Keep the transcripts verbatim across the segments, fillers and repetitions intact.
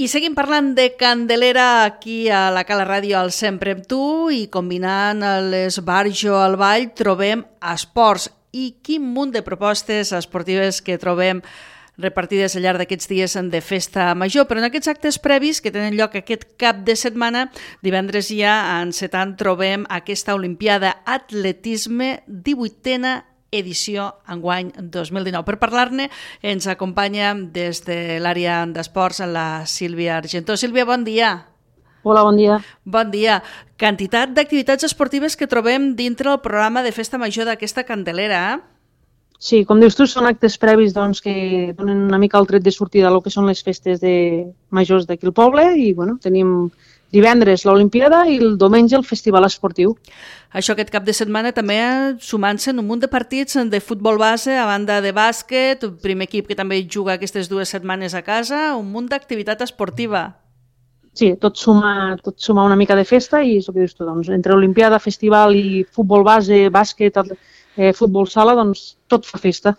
I seguim parlant de Candelera aquí a la Cala Ràdio al Sempre amb tu i combinant l'esbarjo al ball trobem esports i quin munt de propostes esportives que trobem repartides al llarg d'aquests dies de festa major, però en aquests actes previs que tenen lloc aquest cap de setmana, divendres ja encetant trobem aquesta Olimpiada Atletisme divuitena edició enguany dos mil dinou. Per parlar-ne ens acompanya des de l'àrea d'esports la Sílvia Argentó. Sílvia, bon dia. Hola, bon dia. Bon dia. Quantitat d'activitats esportives que trobem dintre el programa de festa major d'aquesta Candelera, eh? Sí, com dius tu, són actes previs doncs, que donen una mica el tret de sortida a lo que són les festes de majors d'aquí al poble i bueno, tenim divendres l'Olimpiada i el diumenge el festival esportiu. Això aquest cap de setmana també sumant-se en un munt de partits de futbol base, a banda de bàsquet, el primer equip que també juga aquestes dues setmanes a casa, un munt d'activitat esportiva. Sí, tot suma, tot suma una mica de festa i és el que dius tu, doncs, entre Olimpiada, festival i futbol base, bàsquet, eh, futbol sala, doncs tot fa festa.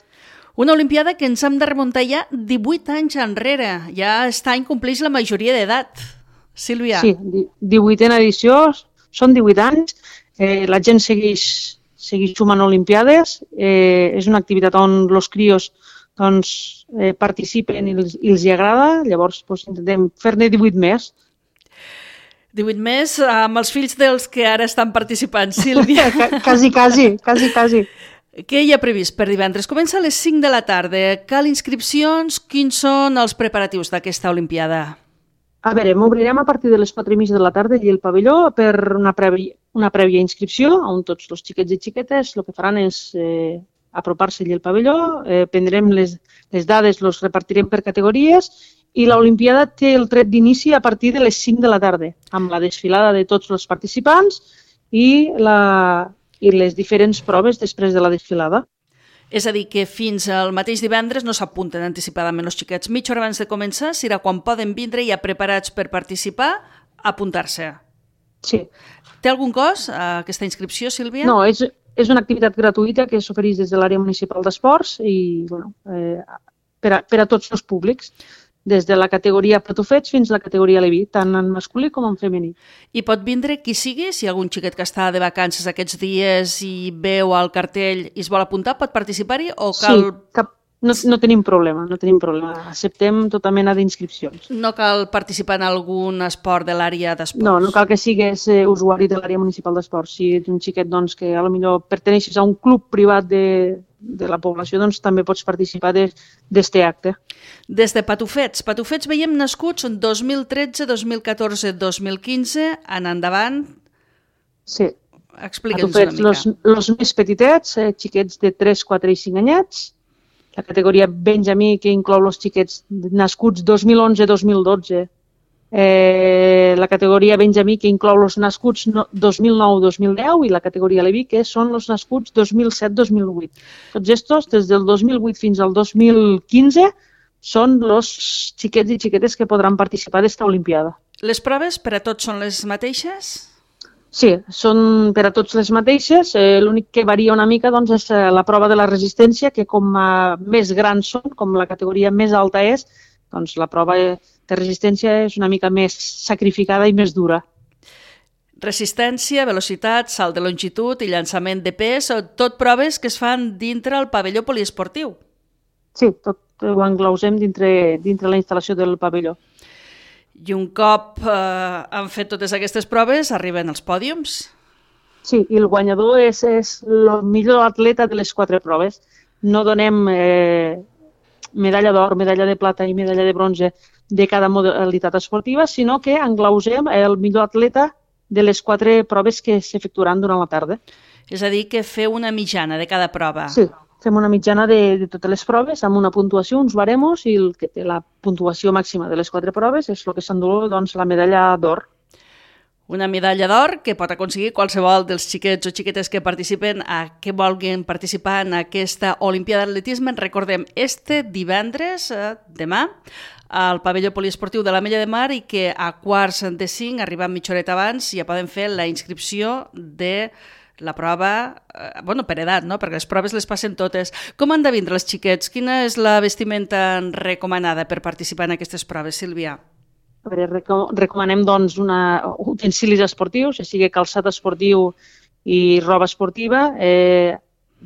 Una Olimpiada que ens hem de remuntar ja divuit anys enrere. Ja aquest any compleix la majoria d'edat. Sílvia. Sí, divuitena edició, són divuit anys, eh, la gent segueix, segueix sumant olimpiades, eh, és una activitat on els crios doncs, eh, participen i els, i els hi agrada, llavors doncs, intentem fer-ne divuit més. divuit més amb els fills dels que ara estan participant, Sílvia. quasi, quasi, quasi, quasi. Què hi ha previst per divendres? Comença a les cinc de la tarda. Cal inscripcions? Quins són els preparatius d'aquesta Olimpiada? A veure, m'obrirem a partir de les quatre i mitja de la tarda i el pavelló per una prèvia, una prèvia inscripció, on tots els xiquets i xiquetes el que faran és eh, apropar-se al pavelló, eh, prendrem les, les dades, els repartirem per categories i l'Olimpiada té el tret d'inici a partir de les cinc de la tarda, amb la desfilada de tots els participants i, la, i les diferents proves després de la desfilada. És a dir, que fins al mateix divendres no s'apunten anticipadament els xiquets. Mitja hora abans de començar serà quan poden vindre ja preparats per participar, apuntar-se. Sí. Té algun cost aquesta inscripció, Sílvia? No, és, és una activitat gratuïta que s'ofereix des de l'àrea municipal d'esports i bueno, eh, per, a, per a tots els públics, des de la categoria patufets fins a la categoria leví, tant en masculí com en femení. I pot vindre qui sigui? Si hi ha algun xiquet que està de vacances aquests dies i veu el cartell i es vol apuntar, pot participar-hi o cal... Sí, cap, no, no tenim problema, no tenim problema. Acceptem tota mena d'inscripcions. No cal participar en algun esport de l'àrea d'esports? No, no cal que sigues eh, usuari de l'àrea municipal d'esports. Si ets un xiquet doncs, que potser perteneixes a un club privat de, de la població, doncs també pots participar d'aquest acte. Des de Patufets. Patufets veiem nascuts en dos mil tretze, dos mil catorze, dos mil quinze, en endavant. Sí. Explica'ns una mica. Patufets, els més petitets, eh, xiquets de tres, quatre i cinc anyets. La categoria Benjamí, que inclou els xiquets nascuts dos mil onze dos mil dotze. Eh, la categoria Benjamí, que inclou els nascuts dos mil nou dos mil deu, i la categoria Leví, que són els nascuts dos mil set dos mil vuit. Tots estos, des del dos mil vuit fins al dos mil quinze, són els xiquets i xiquetes que podran participar d'esta Olimpiada. Les proves per a tots són les mateixes? Sí, són per a tots les mateixes. Eh, L'únic que varia una mica doncs, és la prova de la resistència, que com a més grans són, com la categoria més alta és, doncs la prova de resistència és una mica més sacrificada i més dura. Resistència, velocitat, salt de longitud i llançament de pes, tot proves que es fan dintre el pavelló poliesportiu. Sí, tot ho englausem dintre, dintre la instal·lació del pavelló. I un cop eh, han fet totes aquestes proves, arriben els pòdiums? Sí, i el guanyador és, és el millor atleta de les quatre proves. No donem eh, medalla d'or, medalla de plata i medalla de bronze de cada modalitat esportiva, sinó que englausem el millor atleta de les quatre proves que s'efectuaran durant la tarda. És a dir, que feu una mitjana de cada prova. Sí, fem una mitjana de, de totes les proves amb una puntuació, uns baremos, i el que té la puntuació màxima de les quatre proves és el que s'endú doncs, la medalla d'or. Una medalla d'or que pot aconseguir qualsevol dels xiquets o xiquetes que participen a que vulguin participar en aquesta Olimpiada d'Atletisme. Recordem, este divendres, eh, demà, al pavelló poliesportiu de l'Ametlla de Mar, i que a quarts de cinc, arribant mitja horeta abans, ja poden fer la inscripció de la prova, eh, bueno, per edat, no? Perquè les proves les passen totes. Com han de vindre els xiquets? Quina és la vestimenta recomanada per participar en aquestes proves, Sílvia? A veure, reco recomanem doncs, una, utensilis esportius, ja sigui calçat esportiu i roba esportiva. Eh,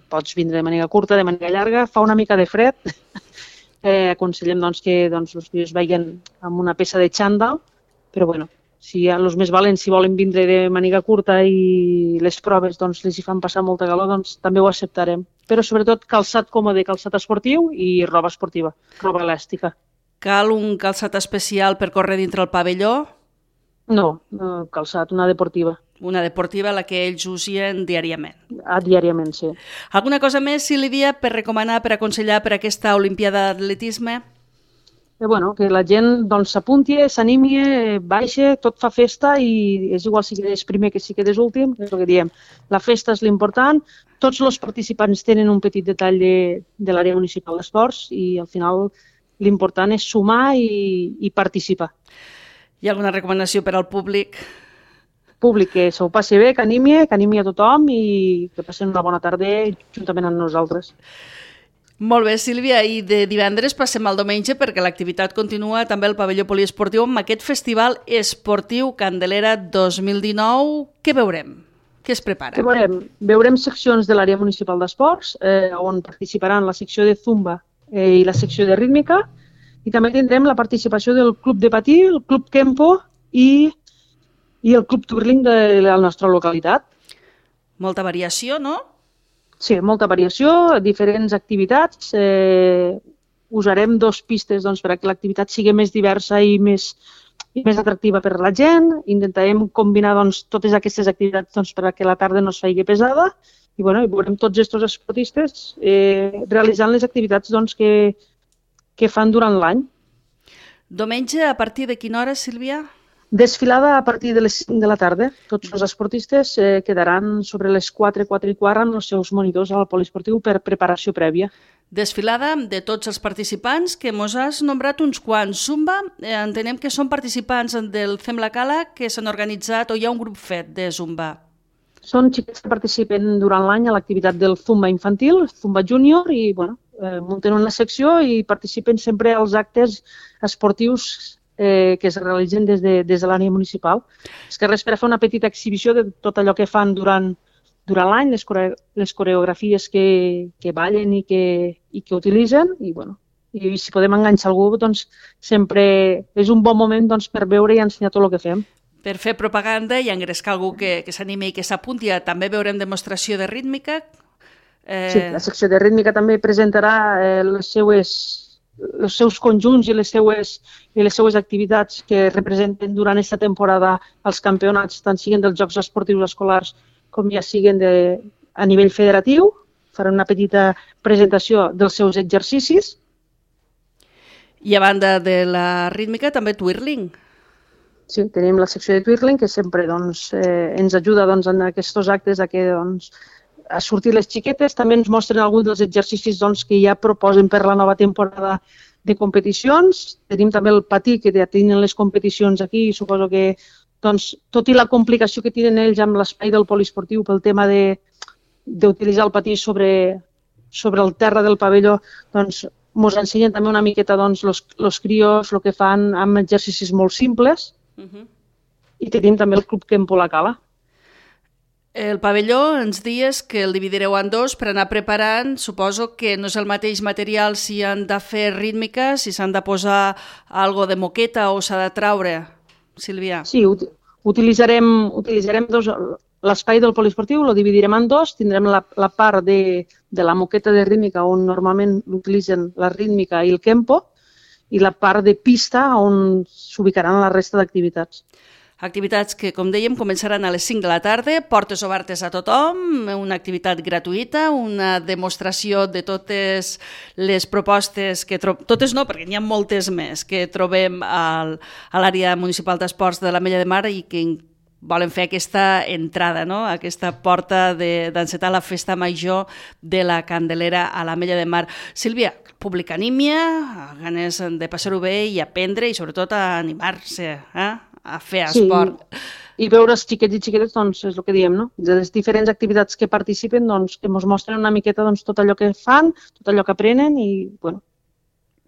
pots vindre de màniga curta, de màniga llarga. Fa una mica de fred. eh, aconsellem doncs, que doncs, els tios vagin amb una peça de xandall, però bueno, si els més valents, si volen vindre de màniga curta i les proves doncs, les hi fan passar molta calor, doncs també ho acceptarem. Però sobretot calçat còmode, calçat esportiu i roba esportiva, roba elàstica. Cal un calçat especial per córrer dintre el pavelló? No, no calçat, una deportiva. Una deportiva, la que ells usien diàriament. Ah, diàriament, sí. Alguna cosa més, Sílvia, per recomanar, per aconsellar per aquesta Olimpiada d'Atletisme? Eh, bueno, que la gent doncs, s'apunti, s'animi, baixa, tot fa festa i és igual si quedes primer que si quedes últim, és el que diem. La festa és l'important, tots els participants tenen un petit detall de, de l'àrea municipal d'esports i al final l'important és sumar i, i participar. Hi ha alguna recomanació per al públic? Públic que s'ho passi bé, que animi, que animi a tothom i que passin una bona tarda juntament amb nosaltres. Molt bé, Sílvia, i de divendres passem al diumenge perquè l'activitat continua també al pavelló poliesportiu amb aquest festival esportiu Candelera dos mil dinou. Què veurem? Què es prepara? Què veurem? Veurem seccions de l'àrea municipal d'esports eh, on participaran la secció de Zumba eh, i la secció de rítmica i també tindrem la participació del club de patí, el club Kempo i, i el club Twirling de la nostra localitat. Molta variació, no? Sí, molta variació, diferents activitats. Eh, usarem dos pistes doncs, perquè l'activitat sigui més diversa i més, i més atractiva per a la gent. Intentarem combinar doncs, totes aquestes activitats doncs, perquè la tarda no es faci pesada i, bueno, i veurem tots aquests esportistes eh, realitzant les activitats doncs, que, que fan durant l'any. Diumenge, a partir de quina hora, Sílvia? Desfilada a partir de les cinc de la tarda. Tots els esportistes eh, quedaran sobre les quatre, quatre i quart amb els seus monitors al poliesportiu per preparació prèvia. Desfilada de tots els participants, que mos has nombrat uns quants. Zumba, eh, entenem que són participants del Fem la Cala que s'han organitzat o hi ha un grup fet de Zumba. Són xiquets que participen durant l'any a l'activitat del Zumba infantil, Zumba júnior, i bueno, eh, munten una secció i participen sempre als actes esportius Eh, que es realitzen des de, des de l'àrea municipal. És que res per a fer una petita exhibició de tot allò que fan durant, durant l'any, les, core les coreografies que, que ballen i que, i que utilitzen, i, bueno, i si podem enganxar algú, doncs sempre és un bon moment doncs, per veure i ensenyar tot el que fem. Per fer propaganda i engrescar algú que, que s'animi i que s'apunti. També veurem demostració de rítmica. Eh... Sí, la secció de rítmica també presentarà eh, les seues els seus conjunts i les seues, i les seues activitats que representen durant aquesta temporada els campionats, tant siguin dels Jocs Esportius Escolars com ja siguin de, a nivell federatiu. Faran una petita presentació dels seus exercicis. I a banda de la rítmica, també twirling. Sí, tenim la secció de twirling que sempre doncs, eh, ens ajuda doncs, en aquests actes a que doncs, a sortir les xiquetes. També ens mostren alguns dels exercicis doncs, que ja proposen per la nova temporada de competicions. Tenim també el patí, que ja tenen les competicions aquí, i suposo que, doncs, tot i la complicació que tenen ells amb l'espai del poliesportiu pel tema d'utilitzar el patí sobre, sobre el terra del pavelló, doncs, ens ensenyen també una miqueta doncs, los, los crios, el que fan amb exercicis molt simples. Uh-huh. I tenim també el Club Kempo La Cala. El pavelló ens dies que el dividireu en dos per anar preparant. Suposo que no és el mateix material si han de fer rítmica, si s'han de posar algo de moqueta o s'ha de traure, Sílvia. Sí, ut utilitzarem, utilitzarem dos, l'espai del poliesportiu, el dividirem en dos. Tindrem la, la part de, de la moqueta de rítmica on normalment l'utilitzen la rítmica i el Kempo i la part de pista on s'ubicaran la resta d'activitats. Activitats que, com dèiem, començaran a les cinc de la tarda, portes obertes a tothom, una activitat gratuïta, una demostració de totes les propostes que trobem, totes no, perquè n'hi ha moltes més, que trobem al, a l'àrea municipal d'esports de l'Ametlla de Mar i que volen fer aquesta entrada, no? Aquesta porta d'encetar la festa major de la Candelera a l'Ametlla de Mar. Sílvia, públic anímia, ganes de passar-ho bé i aprendre i sobretot a animar-se, eh? a fer esport. Sí, i veure els xiquets i xiquetes, doncs, és el que diem, no? De les diferents activitats que participen, doncs, que ens mostren una miqueta doncs, tot allò que fan, tot allò que aprenen i, bueno,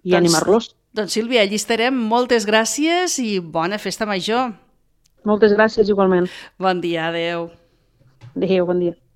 i doncs, animar-los. Doncs Sílvia, allí estarem. Moltes gràcies i bona festa major. Moltes gràcies igualment. Bon dia, adeu. Adéu, bon dia.